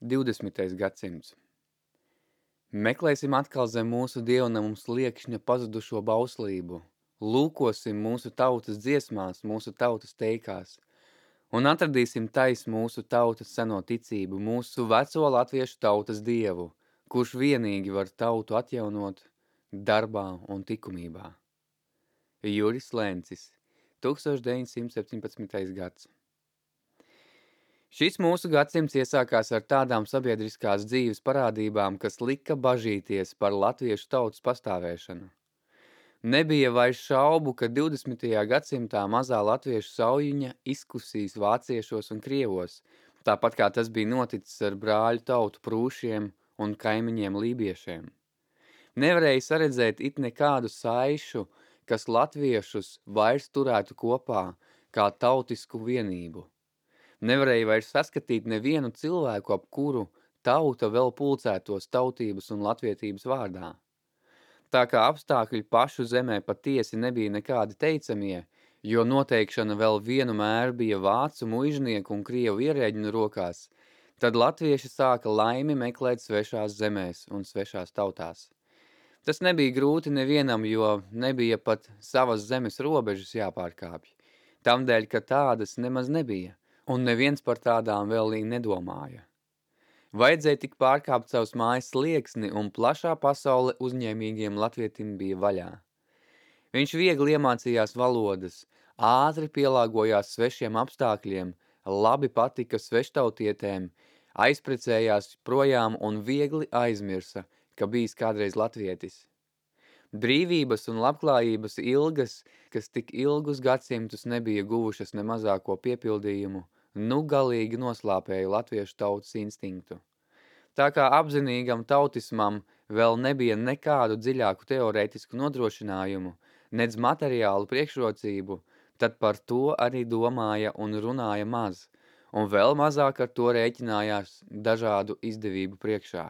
20. gadsimts. Meklēsim atkal zem mūsu dievnamuma sliekšņa pazudušo bauslību. Lūkosim mūsu tautas dziesmās, mūsu tautas teikās. Un atradīsim tais mūsu tautas seno ticību, mūsu veco latviešu tautas dievu, kurš vienīgi var tautu atjaunot darbā un likumībā. Juris Lencis, 1917. gads. Šis mūsu gadsimts iesākās ar tādām sabiedriskās dzīves parādībām, kas lika bažīties par latviešu tautas pastāvēšanu. Nebija vairs šaubu, ka 20. gadsimtā mazā latviešu saujiņa izkusīs vāciešos un krievos, tāpat kā tas bija noticis ar brāļu tautu prūšiem un kaimiņiem lībiešiem. Nevarēja saredzēt it nekādu saišu, kas latviešus vairs turētu kopā kā tautisku vienību. Nevarēja vairs saskatīt nevienu cilvēku, ap kuru tauta vēl pulcētos tautības un latvietības vārdā. Tā kā apstākļi pašu zemē patiesi nebija nekādi teicamie, jo noteikšana vēl vienu mēru bija vācu muižnieku un krievu ierēģinu rokās, tad latvieši sāka laimi meklēt svešās zemēs un svešās tautās. Tas nebija grūti nevienam, jo nebija pat savas zemes robežas jāpārkāpj. Tamdēļ, ka tādas nemaz nebija. Un neviens par tādām vēl nedomāja. Vajadzēja tik pārkāpt savus mājas slieksni, un plašā pasaule uzņēmīgiem latvietim bija vaļā. Viņš viegli iemācījās valodas, ātri pielāgojās svešiem apstākļiem, labi patika sveštautietēm, aizprecējās projām un viegli aizmirsa, ka bijis kādreiz latvietis. Brīvības un labklājības ilgas, kas tik ilgus gadsimtus nebija guvušas ne mazāko piepildījumu, galīgi noslāpēja latviešu tautas instinktu. Tā kā apzinīgam tautismam vēl nebija nekādu dziļāku teorētisku nodrošinājumu, nedz materiālu priekšrocību, tad par to arī domāja un runāja maz, un vēl mazāk ar to rēķinājās dažādu izdevību priekšā.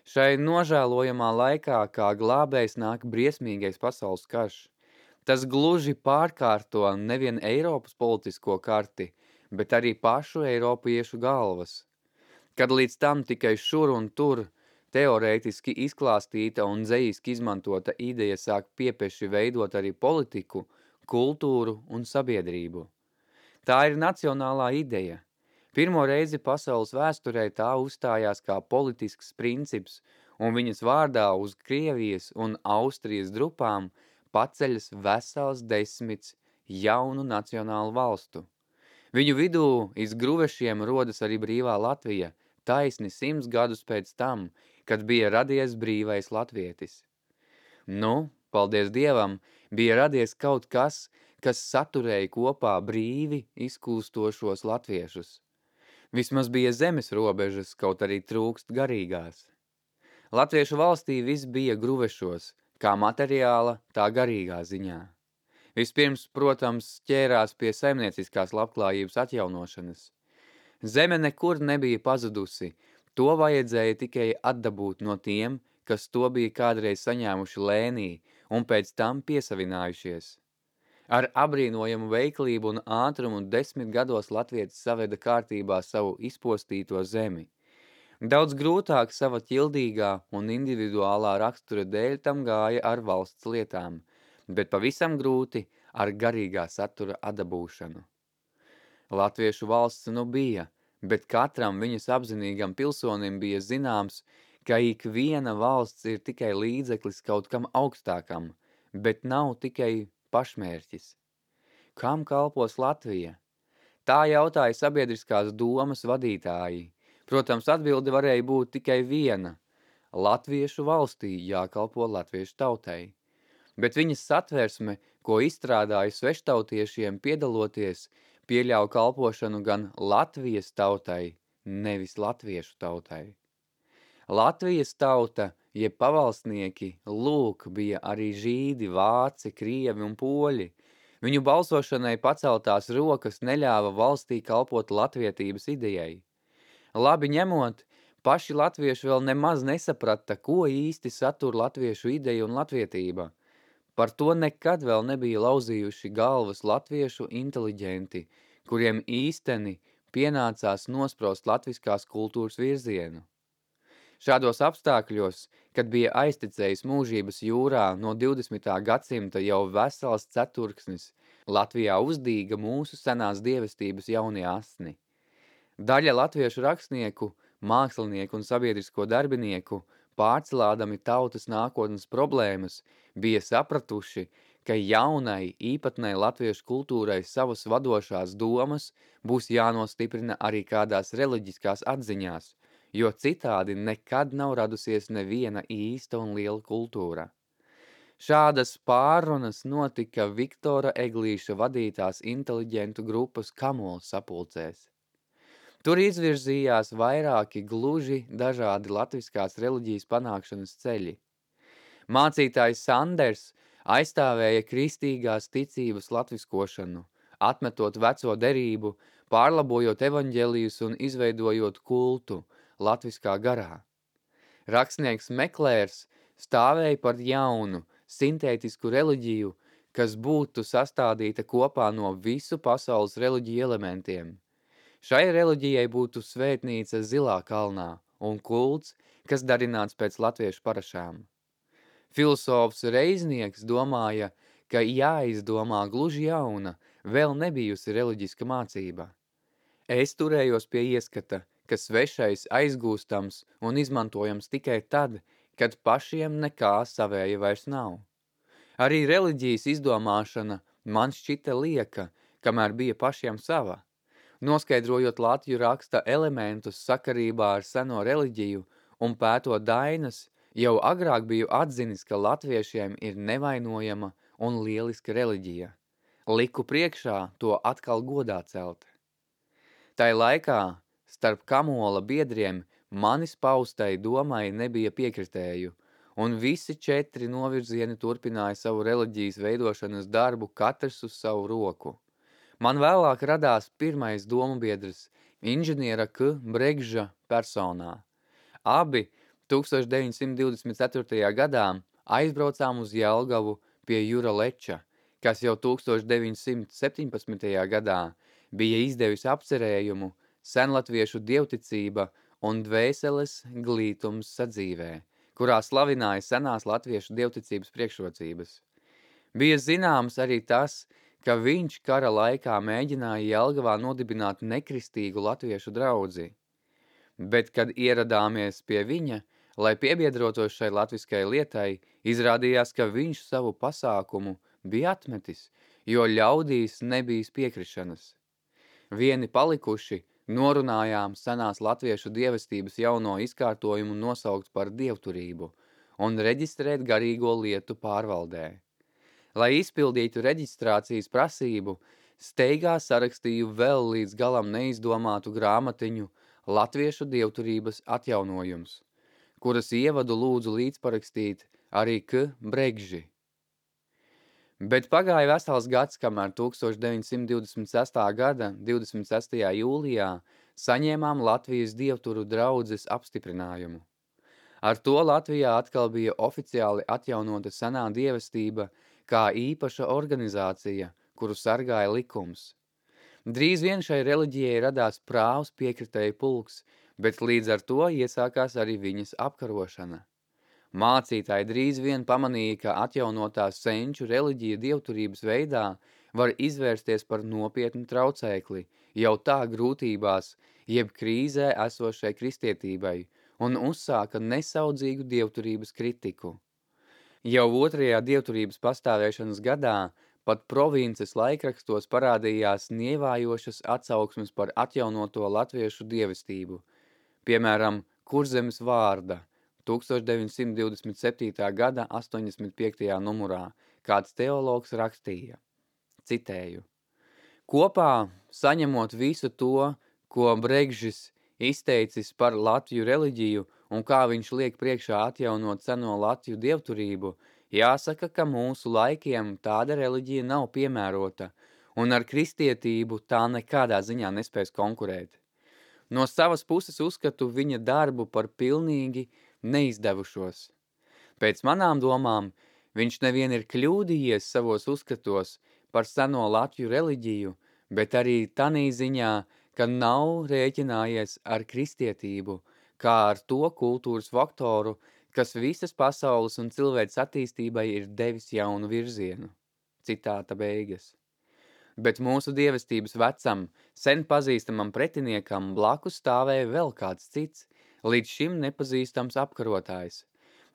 Šai nožēlojamā laikā, kā glābējs nāk briesmīgais pasaules karš, tas gluži pārkārto nevien Eiropas politisko karti, bet arī pašu eiropiešu galvas. Kad līdz tam tikai šur un tur teorētiski izklāstīta un dzejiski izmantota ideja sāk piepeši veidot arī politiku, kultūru un sabiedrību. Tā ir nacionālā ideja. Pirmo reizi pasaules vēsturē tā uzstājās kā politisks princips, un viņas vārdā uz Krievijas un Austrijas drupām paceļas vesels 10 jaunu nacionālu valstu. Viņu vidū iz gruvešiem rodas arī brīvā Latvija, taisni 100 gadus pēc tam, kad bija radies brīvais latvietis. Paldies Dievam, bija radies kaut kas, kas saturēja kopā brīvi izkūstošos latviešus. Vismaz bija zemes robežas, kaut arī trūkst garīgās. Latviešu valstī viss bija gruvešos, kā materiāla, tā garīgā ziņā. Vispirms, protams, ķērās pie saimnieciskās labklājības atjaunošanas. Zeme nekur nebija pazudusi, to vajadzēja tikai atdabūt no tiem, kas to bija kādreiz saņēmuši lēnī un pēc tam piesavinājušies. Ar abrīnojamu veiklību un ātrumu 10 gados latvietis saveda kārtībā savu izpostīto zemi. Daudz grūtāk sava ķildīgā un individuālā rakstura dēļ tam gāja ar valsts lietām, bet pavisam grūti ar garīgā satura atdabūšanu. Latviešu valsts bija, bet katram viņas apzinīgam pilsonim bija zināms, ka ik viena valsts ir tikai līdzeklis kaut kam augstākam, bet nav tikai pašmērķis. Kam kalpos Latvija? Tā jautāja sabiedriskās domas vadītāji. Protams, atbilde varēja būt tikai viena. Latviešu valstī jākalpo latviešu tautai. Bet viņas satversme, ko izstrādāja sveštautiešiem piedaloties, pieļauj kalpošanu gan Latvijas tautai, nevis latviešu tautai. Latvijas tauta, jeb pavalsnieki, lūk, bija arī žīdi, vāci, krievi un poļi. Viņu balsošanai paceltās rokas neļāva valstī kalpot latvietības idejai. Labi ņemot, paši latvieši vēl nemaz nesaprata, ko īsti satur latviešu ideja un latvietība. Par to nekad vēl nebija lauzījuši galvas latviešu inteliģenti, kuriem īsteni pienācās nosprost latviskās kultūras virzienu. Šādos apstākļos, kad bija aiztecējis mūžības jūrā no 20. gadsimta jau vesels ceturksnis, Latvijā uzdīga mūsu senās dievestības jaunie asni. Daļa latviešu rakstnieku, mākslinieku un sabiedrisko darbinieku, pārcelādami tautas nākotnes problēmas, bija sapratuši, ka jaunai, īpatnai latviešu kultūrai savas vadošās domas būs jānostiprina arī kādās reliģiskās atziņās, jo citādi nekad nav radusies neviena īsta un liela kultūra. Šādas pārrunas notika Viktora Eglīša vadītās inteliģentu grupas Kamols sapulcēs. Tur izvirzījās vairāki gluži dažādi latviskās reliģijas panākšanas ceļi. Mācītājs Sanders aizstāvēja kristīgās ticības latviskošanu, atmetot veco derību, pārlabojot evaņģelijus un izveidojot kultu latviskā garā. Rakstnieks Meklērs stāvēja par jaunu, sintētisku reliģiju, kas būtu sastādīta kopā no visu pasaules reliģiju elementiem. Šai reliģijai būtu svētnīca Zilā kalnā un kults, kas darināts pēc latviešu parašām. Filosofs Reiznieks domāja, ka jāizdomā gluži jauna, vēl nebijusi reliģiska mācība. Es turējos pie ieskata, ka svešais aizgūstams un izmantojams tikai tad, kad pašiem nekā savēja vairs nav. Arī reliģijas izdomāšana man šķita lieka, kamēr bija pašiem sava. Noskaidrojot Latviju raksta elementus sakarībā ar seno reliģiju un pētot dainas, jau agrāk biju atzinis, ka latviešiem ir nevainojama un lieliska reliģija. Liku priekšā to atkal godā celt. Tai laikā starp Kamola biedriem manis paustai domai nebija piekritēju, un visi 4 novirzieni turpināja savu reliģijas veidošanas darbu katrs uz savu roku. Man vēlāk radās pirmais domu biedrs inženiera K. Bregža personā. Abi 1924. gadā aizbraucām uz Jelgavu pie Jura Leča, kas jau 1917. gadā bija izdevis apcerējumu senlatviešu dievticība un dvēseles glītums sadzīvē, kurā slavināja senās latviešu dievticības priekšrocības. Bija zināms arī tas, ka viņš kara laikā mēģināja Jelgavā nodibināt nekristīgu latviešu draudzi. Bet, kad ieradāmies pie viņa, lai piebiedrotos šai latviskai lietai, izrādījās, ka viņš savu pasākumu bija atmetis, jo ļaudīs nebijis piekrišanas. Vieni palikuši norunājām senās latviešu dievestības jauno izkārtojumu nosaukt par dievturību un reģistrēt garīgo lietu pārvaldē. Lai izpildītu reģistrācijas prasību, steigā sarakstīju vēl līdz galam neizdomātu grāmatiņu Latviešu dievturības atjaunojums, kuras ievadu lūdzu līdzparakstīt arī K. Bregži. Bet pagāja vesels gads, kamēr 1926. gada 26. jūlijā saņēmām Latvijas dievturu draudzes apstiprinājumu. Ar to Latvijā atkal bija oficiāli atjaunota senā dievestība kā īpaša organizācija, kuru sargāja likums. Drīz vien šai reliģijai radās prāvs piekritēju pulks, bet līdz ar to iesākās arī viņas apkarošana. Mācītāji drīz vien pamanīja, ka atjaunotā senču reliģija dievturības veidā var izvērsties par nopietnu traucēkli, jau tā grūtībās, jeb krīzē esošai kristietībai, un uzsāka nesaudzīgu dievturības kritiku. Jau 2. dievturības pastāvēšanas gadā pat provinces laikrakstos parādījās nievājošas atsauksmes par atjaunoto latviešu dievestību, piemēram, Kurzemes vārda, 1927. gada 85. numurā, kāds teologs rakstīja. Citēju. Kopā, saņemot visu to, ko Bregžis izteicis par Latviju reliģiju un kā viņš liek priekšā atjaunot seno Latviju dievturību, jāsaka, ka mūsu laikiem tāda reliģija nav piemērota, un ar kristietību tā nekādā ziņā nespēs konkurēt. No savas puses uzskatu viņa darbu par pilnīgi neizdevušos. Pēc manām domām, viņš nevien ir kļūdījies savos uzskatos par seno Latviju reliģiju, bet arī tanī ziņā, ka nav rēķinājies ar kristietību, kā ar to kultūras faktoru, kas visas pasaules un cilvēks attīstībai ir devis jaunu virzienu. Citāta beigas. Bet mūsu dievestības vecam, sen pazīstamam pretiniekam blakus stāvēja vēl kāds cits, līdz šim nepazīstams apkarotājs.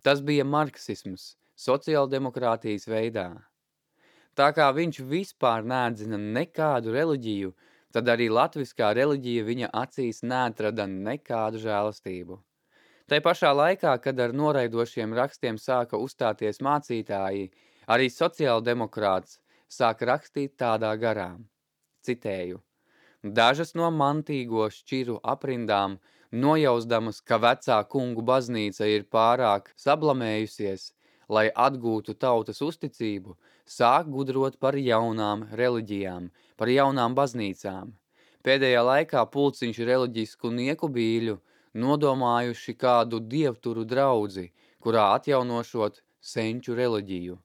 Tas bija marksisms, sociāldemokrātijas veidā. Tā kā viņš vispār neatzina nekādu reliģiju, tad arī latviskā reliģija viņa acīs neatrada nekādu žēlastību. Tai pašā laikā, kad ar noraidošiem rakstiem sāka uzstāties mācītāji, arī sociāldemokrāts sāka rakstīt tādā garā. Citēju. Dažas no mantīgo šķiru aprindām, nojausdamas, ka vecā kungu baznīca ir pārāk sablamējusies, lai atgūtu tautas uzticību, sāk gudrot par jaunām reliģijām, par jaunām baznīcām. Pēdējā laikā pulciņš reliģisku niekubīļu nodomājuši kādu dievturu draudzi, kurā atjaunošot senču reliģiju.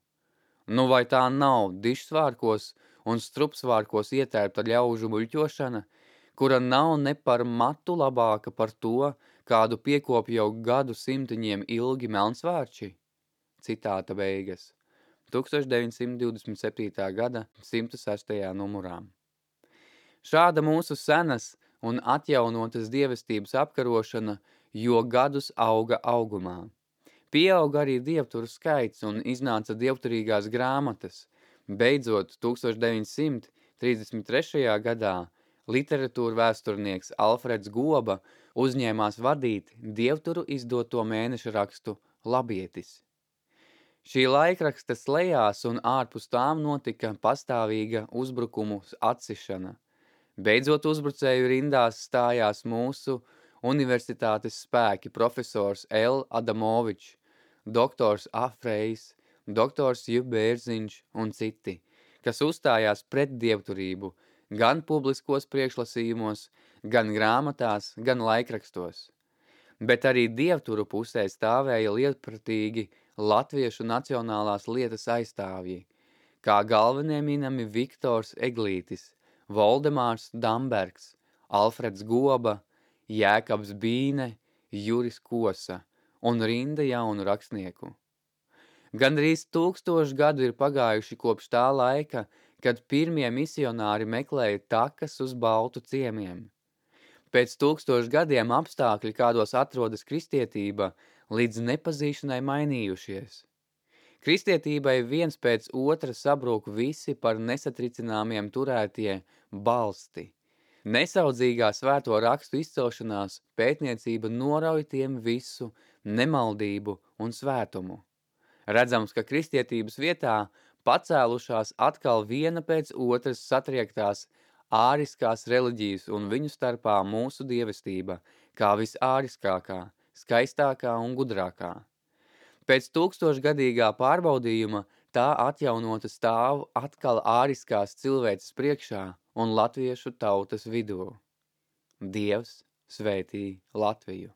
Nu vai tā nav dižsvārkos un strupsvārkos ietērpta ļaužu muļķošana, kura nav ne par matu labāka par to, kādu piekop jau gadu simtiņiem ilgi melnsvārči? Citāta beigas. 1927. gada 106. numurā. Šāda mūsu senas un atjaunotas dievestības apkarošana jo gadus auga augumā. Pieauga arī dievturu skaits un iznāca dievturīgās grāmatas. Beidzot, 1933. gadā literatūra vēsturnieks Alfreds Goba uzņēmās vadīt dievturu izdoto mēneša rakstu Labietis. Šī laikraksta slejās un ārpus tām notika pastāvīga uzbrukumu atsišana. Beidzot uzbrucēju rindās stājās mūsu universitātes spēki profesors L. Adamovičs, doktors Afrejs, doktors J. Bērziņš un citi, kas uzstājās pret dievturību gan publiskos priekšlasījumos, gan grāmatās, gan laikrakstos. Bet arī dievturu pusē stāvēja lietpratīgi latviešu nacionālās lietas aizstāvji, kā galvenie minami Viktors Eglītis, Voldemārs Dambergs, Alfreds Goba, Jēkabs Bīne, Juris Kosa un rinda jaunu rakstnieku. Gandrīz 1000 gadu ir pagājuši kopš tā laika, kad pirmie misionāri meklēja takas uz baltu ciemiem. Pēc 1000 gadiem apstākļi, kādos atrodas kristietība, līdz nepazīšanai mainījušies. Kristietībai viens pēc otra sabrūk visi par nesatricināmiem turētie balsti. Nesaudzīgā svēto rakstu izcelšanās pētniecība norauj tiem visu nemaldību un svētumu. Redzams, ka kristietības vietā pacēlušās atkal viena pēc otras satriektās āriskās reliģijas un viņu starpā mūsu dievestība, kā visāriskākā, skaistākā un gudrākā. Pēc 1000-gadīgā pārbaudījuma tā atjaunota stāv atkal āriskās cilvēces priekšā un latviešu tautas vidū. Dievs svētī Latviju!